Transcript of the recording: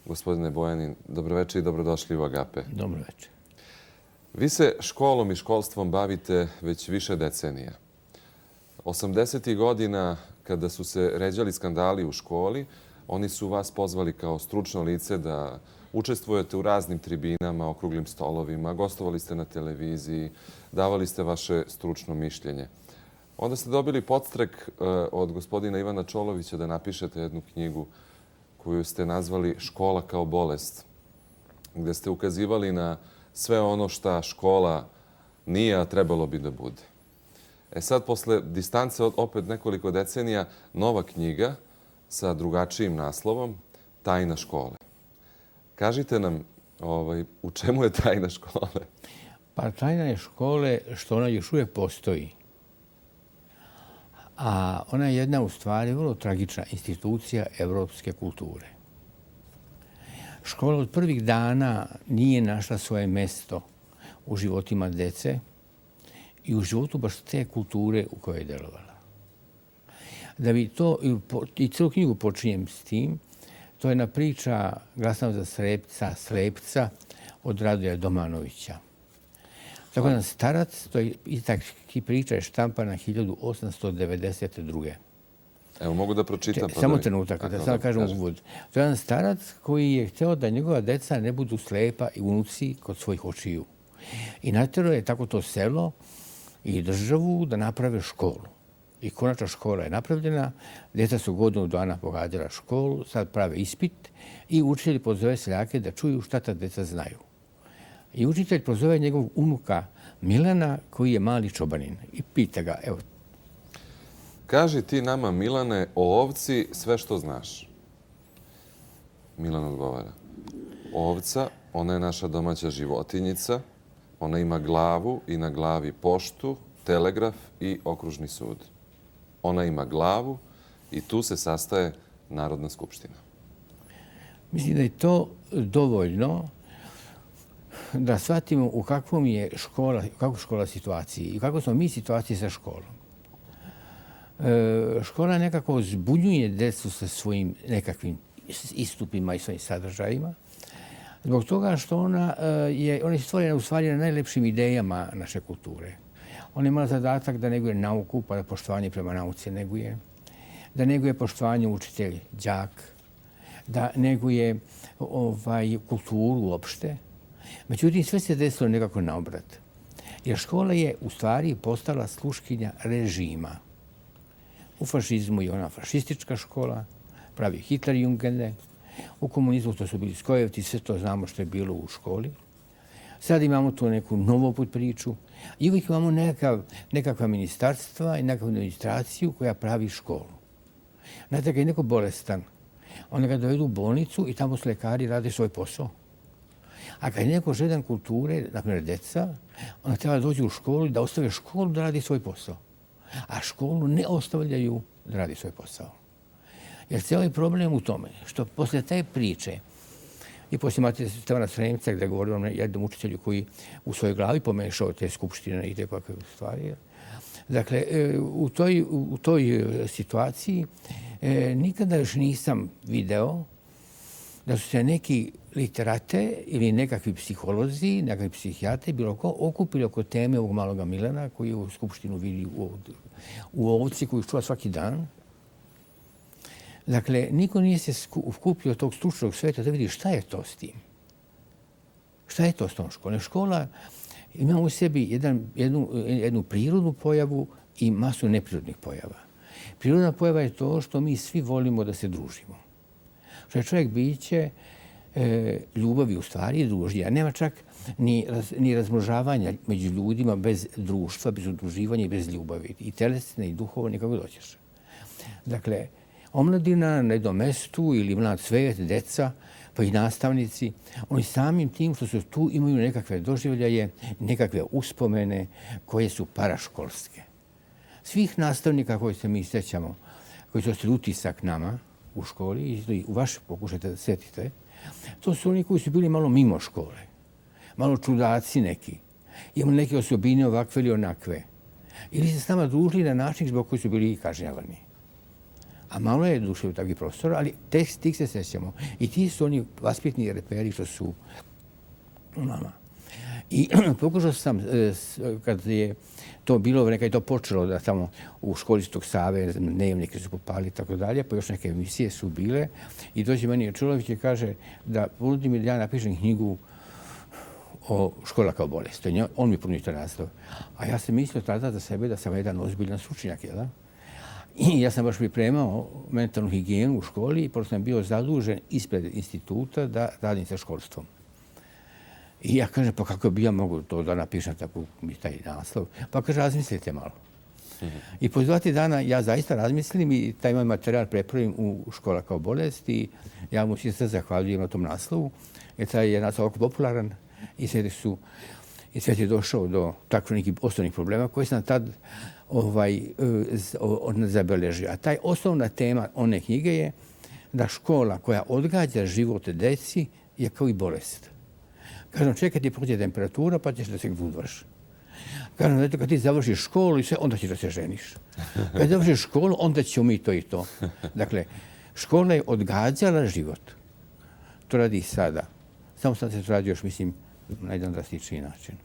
gospodine Bojanin. Dobroveče i dobrodošli u Agape. Dobroveče. Vi se školom i školstvom bavite već više decenija. 80. godina, kada su se ređali skandali u školi, oni su vas pozvali kao stručno lice da učestvujete u raznim tribinama, okruglim stolovima, gostovali ste na televiziji, davali ste vaše stručno mišljenje. Onda ste dobili podstrek od gospodina Ivana Čolovića da napišete jednu knjigu koju ste nazvali Škola kao bolest, gde ste ukazivali na sve ono šta škola nije, a trebalo bi da bude. Sad, posle distance od opet nekoliko decenija, nova knjiga sa drugačijim naslovom, Tajna škole. Kažite nam u čemu je tajna škole? Pa tajna je škole što ona još uvijek postoji. A ona je jedna u stvari vrlo tragična institucija evropske kulture. Škola od prvih dana nije našla svoje mesto u životima dece i u životu baš te kulture u kojoj je delovala. Da bi to, i celu knjigu počinjem s tim, to je jedna priča Glasam za slepca od Radoja Domanovića. Tako jedan starac, to je priča je štampana 1892. Evo, mogu da pročitam. Samo trenutak, da sam kažem uvod. To je jedan starac koji je hteo da njegova deca ne budu slepa i unuci kod svojih očiju. I natjerao je tako to selo i državu da naprave školu. I konačna škola je napravljena, djeca su godinu dana pohađala školu, sad prave ispit i učitelj pozove seljake da čuju šta ta djeca znaju. I učitelj pozove njegovog unuka Milana, koji je mali čobanin. I pita ga, evo. Kaži ti nama, Milane, o ovci sve što znaš. Milan odgovara. Ovca, ona je naša domaća životinjica. Ona ima glavu i na glavi poštu, telegraf i okružni sud. Ona ima glavu i tu se sastaje Narodna skupština. Mislim da je to dovoljno da shvatimo u kakvom je škola situaciji i kako smo mi situaciji sa školom. Škola nekako zbunjuje decu sa svojim nekakvim istupima i svojim sadržajima. Zbog toga što ona je stvorena u stvari na najlepšim idejama naše kulture. Ona ima zadatak da neguje nauku, pa da poštovanje prema nauci neguje. Da neguje poštovanje učitelj, đak. Da neguje kulturu uopšte. Međutim, sve se desilo nekako naobrat. Jer škola je u stvari postala sluškinja režima. U fašizmu je ona fašistička škola, pravi Hitlerjungende. U komunizmu to su bili skojevci, sve to znamo što je bilo u školi. Sad imamo tu neku novu priču i uvijek imamo nekakva ministarstva i nekakvu administraciju koja pravi školu. Znate, kad je neko bolestan, onda ga dovedu u bolnicu i tamo su lekari rade svoj posao. A kad je neko žedan kulture, naprimjer deca, onda treba dođu u školu i da ostave školu da radi svoj posao. A školu ne ostavljaju da radi svoj posao. Jer cijeli je problem u tome što poslije te priče i poslije imate Stevana Sremca gdje govori o jednom učitelju koji u svojoj glavi pomešao te skupštine i te kakve stvari. Dakle, u toj situaciji nikada još nisam video da su se neki literate ili nekakvi psiholozi, nekakvi psihijatri bilo ko okupili oko teme ovog maloga Milana koji u skupštinu vidi u ovci koju čuva svaki dan. Dakle, niko nije se skupio od tog stručnog sveta da vidi šta je to s tim. Šta je to s tom školom? Škola ima u sebi jednu prirodnu pojavu i masu neprirodnih pojava. Prirodna pojava je to što mi svi volimo da se družimo. Što je čovjek biće ljubavi u stvari i družnja. Nema čak ni razmnožavanja među ljudima bez društva, bez udruživanja i bez ljubavi. I telesne i duhovne, kako doćeš. Dakle, omladina na jednom mestu ili mlad svet, deca, pa i nastavnici, oni samim tim što su tu imaju nekakve doživljaje, nekakve uspomene koje su paraškolske. Svih nastavnika koji se mi sjećamo, koji su ostali utisak nama u školi, i u vaše pokušajte da sjetite, to su oni koji su bili malo mimo škole, malo čudaci neki, imali neke osobine ovakve ili onakve, ili se s nama družili na način zbog koji su bili kažnjavani. A malo je duše u takvih prostora, ali tih se sjećamo. I ti su oni vaspitni reperi što su u nama. I pokušao sam, kad je to bilo, kad je to počelo da tamo u školi Svjetog Save, dnevnike su popali i tako dalje, pa još neke emisije su bile. I dođe meni Čulović i kaže da ponudi mi da ja napišem knjigu o škola kao bolest. On mi ponudi to naslov. A ja sam mislio tada za sebe da sam jedan ozbiljan stručnjak, jel? I ja sam baš pripremao mentalnu higijenu u školi i pošto sam bio zadužen ispred instituta da radim sa školstvom. I ja kažem, pa kako bi ja mogu to da napišem tako mi taj naslov? Pa kaže, razmislite malo. I po 2 dana ja zaista razmislim i taj moj materijal prepravim u škola kao bolest i ja mu se zahvaljujem na tom naslovu. Jer taj je naslov ovako popularan i svijet je došao do takvih nekih osnovnih problema koji sam tad zabeležio. A taj osnovna tema one knjige je da škola koja odgađa život deci je kao i bolest. Kažem, čekaj ti prođe temperatura pa ćeš da se gudvaš. Kažem, kad ti završiš školu i sve, onda ćeš da se ženiš. Kad završiš školu, onda ćemo mi to i to. Dakle, škola je odgađala život. To radi i sada. Samo sad se to radi još, mislim, na jedan drastičniji način.